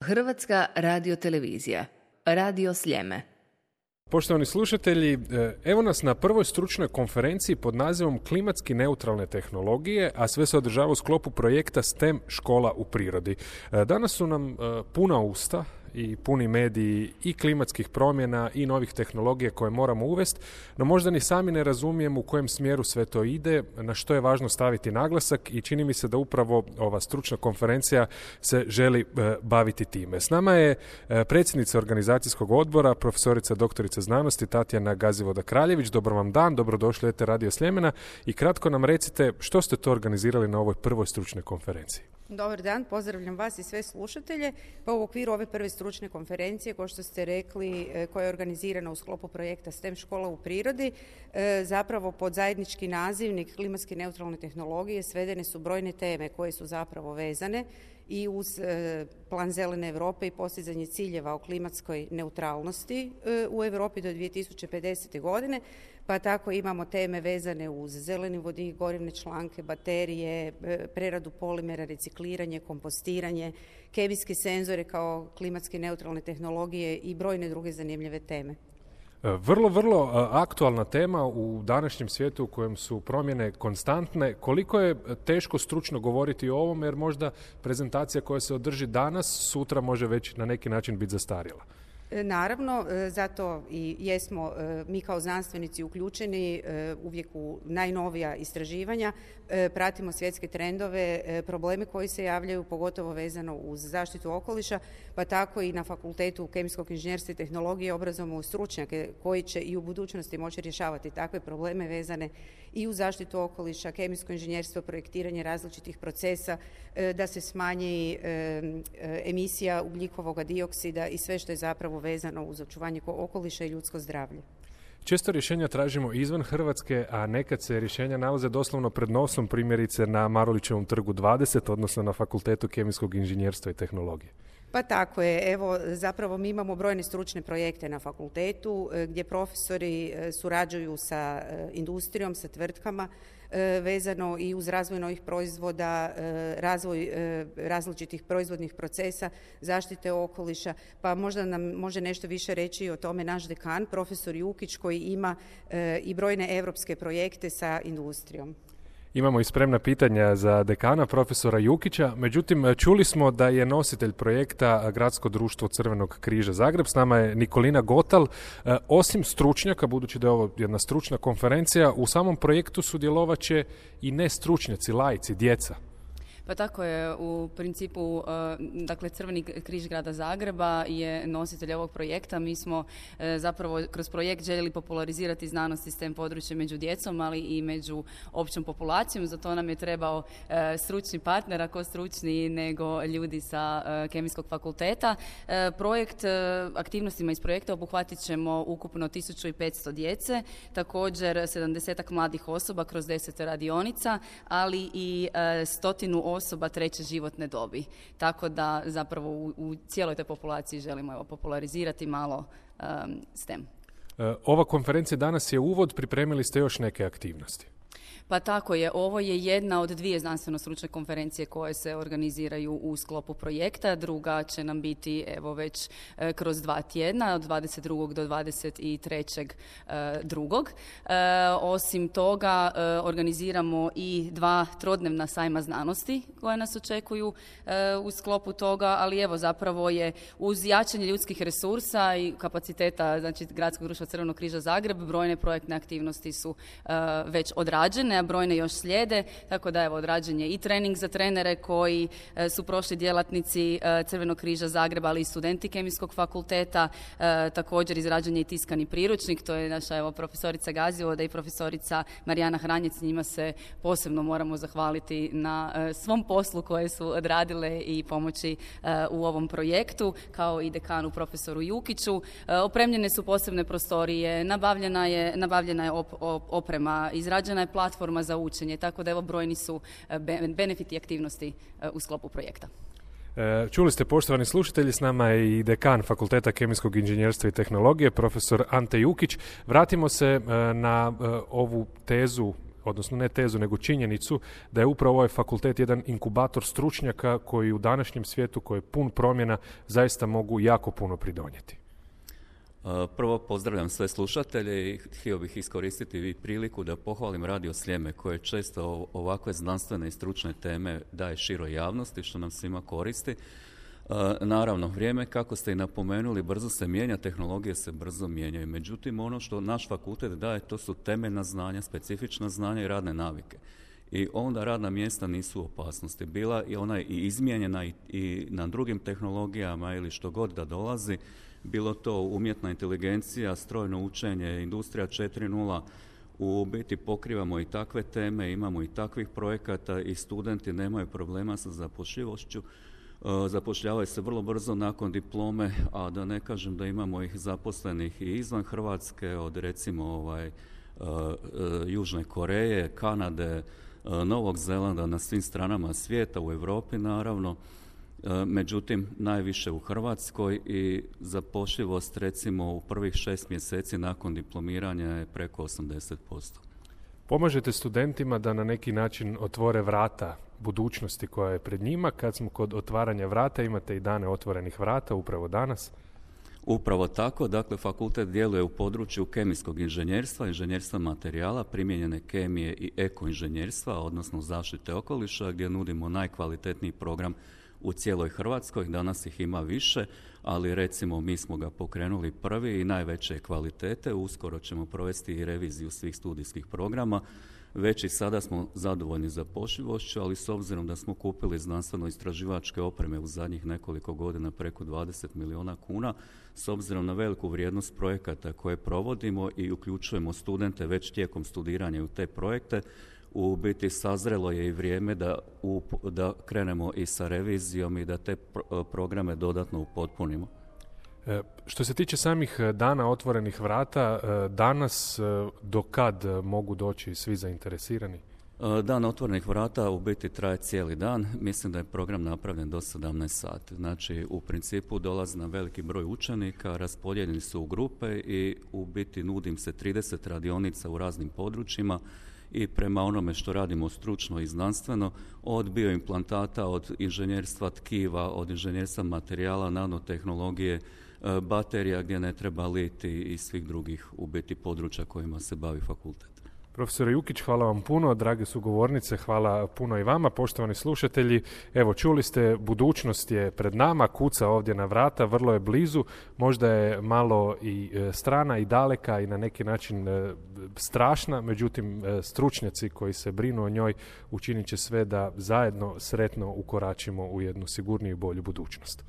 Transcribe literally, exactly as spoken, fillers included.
Hrvatska radiotelevizija, Radio Sljeme. Poštovani slušatelji, evo nas na prvoj stručnoj konferenciji pod nazivom Klimatski neutralne tehnologije, a sve se održava u sklopu projekta STEM škola u prirodi. Danas su nam puna usta i puni mediji i klimatskih promjena i novih tehnologija koje moramo uvesti, no možda ni sami ne razumijemo u kojem smjeru sve to ide, na što je važno staviti naglasak i čini mi se da upravo ova stručna konferencija se želi e, baviti time. S nama je e, predsjednica organizacijskog odbora, profesorica doktorica znanosti Tatjana Gazivoda-Kraljević. Dobar vam dan, dobrodošli u Radio Sljemena i kratko nam recite što ste to organizirali na ovoj prvoj stručnoj konferenciji. Dobar dan, pozdravljam vas i sve slušatelje. Pa u okviru ove prve stručne konferencije, kao što ste rekli, koja je organizirana u sklopu projekta STEM škola u prirodi, zapravo pod zajednički nazivnik klimatske neutralne tehnologije svedene su brojne teme koje su zapravo vezane i uz plan zelene Europe i postizanje ciljeva o klimatskoj neutralnosti u Europi do dvije tisuće pedesete. godine, pa tako imamo teme vezane uz zeleni vodik, gorivne članke, baterije, preradu polimera, recikliranje, kompostiranje, kemijske senzore kao klimatske neutralne tehnologije i brojne druge zanimljive teme. Vrlo, vrlo aktualna tema u današnjem svijetu u kojem su promjene konstantne. Koliko je teško stručno govoriti o ovom, jer možda prezentacija koja se održi danas, sutra može već na neki način biti zastarjela? Naravno, zato i jesmo mi kao znanstvenici uključeni uvijek u najnovija istraživanja, pratimo svjetske trendove, probleme koji se javljaju, pogotovo vezano uz zaštitu okoliša, pa tako i na Fakultetu kemijskog inženjerstva i tehnologije obrazujemo stručnjake koji će i u budućnosti moći rješavati takve probleme vezane i u zaštitu okoliša, kemijsko inženjerstvo, projektiranje različitih procesa, da se smanji emisija ugljikovog dioksida i sve što je zapravo vezano uz očuvanje okoliša i ljudsko zdravlje. Često rješenja tražimo izvan Hrvatske, a nekad se rješenja nalaze doslovno pred nosom, primjerice na Marulićevom trgu dvadeset, odnosno na Fakultetu kemijskog inženjerstva i tehnologije. Pa tako je. Evo, zapravo mi imamo brojne stručne projekte na fakultetu gdje profesori surađuju sa industrijom, sa tvrtkama, vezano i uz razvoj novih proizvoda, razvoj različitih proizvodnih procesa, zaštite okoliša, pa možda nam može nešto više reći o tome naš dekan, profesor Jukić, koji ima i brojne europske projekte sa industrijom. Imamo i spremna pitanja za dekana, profesora Jukića. Međutim, čuli smo da je nositelj projekta Gradsko društvo Crvenog križa Zagreb. S nama je Nikolina Gotal. Osim stručnjaka, budući da je ovo jedna stručna konferencija, u samom projektu sudjelovat će i ne stručnjaci, laici, djeca. Pa tako je, u principu, dakle, Crveni križ grada Zagreba je nositelj ovog projekta. Mi smo zapravo kroz projekt željeli popularizirati znanost i STEM područje među djecom, ali i među općom populacijom. Za to nam je trebao stručni partner, ako stručni nego ljudi sa Kemijskog fakulteta. Projekt, aktivnostima iz projekta obuhvatit ćemo ukupno tisuću petsto djece, također sedamdesetak mladih osoba kroz deset radionica, ali i stotinu osoba treće životne dobi. Tako da zapravo u, u cijeloj toj populaciji želimo evo, popularizirati malo um, STEM. Ova konferencija danas je uvod, pripremili ste još neke aktivnosti. Pa tako je, ovo je jedna od dvije znanstveno-stručne konferencije koje se organiziraju u sklopu projekta. Druga će nam biti evo već e, kroz dva tjedna, od dvadeset drugog do dvadeset trećeg drugog. E, osim toga, e, organiziramo i dva trodnevna sajma znanosti koje nas očekuju e, u sklopu toga, ali evo zapravo je uz jačanje ljudskih resursa i kapaciteta, znači Gradskog društva Crvenog križa Zagreb, brojne projektne aktivnosti su e, već odrađene, a brojne još slijede, tako da evo odrađen je i trening za trenere koji e, su prošli djelatnici e, Crvenog križa Zagreba, ali i studenti Kemijskog fakulteta, e, također izrađen je i tiskani priručnik, to je naša evo profesorica Gazivoda i profesorica Marijana Hranjec, njima se posebno moramo zahvaliti na e, svom poslu koje su odradile i pomoći e, u ovom projektu, kao i dekanu profesoru Jukiću. E, opremljene su posebne prostorije, nabavljena je, nabavljena je op, op, oprema, izrađena je platforma za učenje, tako da evo brojni su benefiti aktivnosti u sklopu projekta. Čuli ste, poštovani slušatelji, s nama je i dekan Fakulteta kemijskog inženjerstva i tehnologije, profesor Ante Jukić. Vratimo se na ovu tezu odnosno ne tezu, nego činjenicu da je upravo ovaj fakultet jedan inkubator stručnjaka koji u današnjem svijetu, koji je pun promjena, zaista mogu jako puno pridonijeti? Prvo pozdravljam sve slušatelje i htio bih iskoristiti i priliku da pohvalim Radio Sljeme koje često ovakve znanstvene i stručne teme daje široj javnosti, što nam svima koristi. Naravno, vrijeme, kako ste i napomenuli, brzo se mijenja, tehnologije se brzo mijenjaju. Međutim, ono što naš fakultet daje, to su temeljna znanja, specifična znanja i radne navike. I onda radna mjesta nisu u opasnosti. Bila i ona i izmijenjena i, i na drugim tehnologijama ili što god da dolazi, bilo to umjetna inteligencija, strojno učenje, industrija četiri nula, u biti pokrivamo i takve teme, imamo i takvih projekata i studenti nemaju problema sa zapošljivošću. Zapošljavaju se vrlo brzo nakon diplome, a da ne kažem da imamo ih zaposlenih i izvan Hrvatske, od recimo ovaj, Južne Koreje, Kanade, Novog Zelanda, na svim stranama svijeta, u Europi naravno. Međutim, najviše u Hrvatskoj i zapošljivost recimo u prvih šest mjeseci nakon diplomiranja je preko osamdeset posto. Pomažete studentima da na neki način otvore vrata budućnosti koja je pred njima. Kad smo kod otvaranja vrata, imate i dane otvorenih vrata upravo danas. Upravo tako, dakle fakultet djeluje u području kemijskog inženjerstva, inženjerstva materijala, primijenjene kemije i ekoinženjerstva, odnosno zaštite okoliša, gdje nudimo najkvalitetniji program u cijeloj Hrvatskoj. Danas ih ima više, ali recimo mi smo ga pokrenuli prvi i najveće kvalitete. Uskoro ćemo provesti i reviziju svih studijskih programa. Već i sada smo zadovoljni zapošljivošću, ali s obzirom da smo kupili znanstveno-istraživačke opreme u zadnjih nekoliko godina preko dvadeset milijuna kuna, s obzirom na veliku vrijednost projekata koje provodimo i uključujemo studente već tijekom studiranja u te projekte, u biti sazrelo je i vrijeme da, u, da krenemo i sa revizijom i da te pro, programe dodatno upotpunimo. E, što se tiče samih dana otvorenih vrata, danas do kad mogu doći svi zainteresirani? Dan otvorenih vrata u biti traje cijeli dan. Mislim da je program napravljen do sedamnaest sati. Znači, u principu dolazi na veliki broj učenika, raspodijeljeni su u grupe i u biti nudim se trideset radionica u raznim područjima i prema onome što radimo stručno i znanstveno, od bioimplantata, od inženjerstva tkiva, od inženjerstva materijala, nanotehnologije, baterija gdje ne treba liti i svih drugih u biti područja kojima se bavi fakultet. Profesor Jukić, hvala vam puno, drage sugovornice, hvala puno i vama, poštovani slušatelji. Evo, čuli ste, budućnost je pred nama, kuca ovdje na vrata, vrlo je blizu, možda je malo i strana i daleka i na neki način strašna, međutim stručnjaci koji se brinu o njoj učinit će sve da zajedno sretno ukoračimo u jednu sigurniju i bolju budućnost.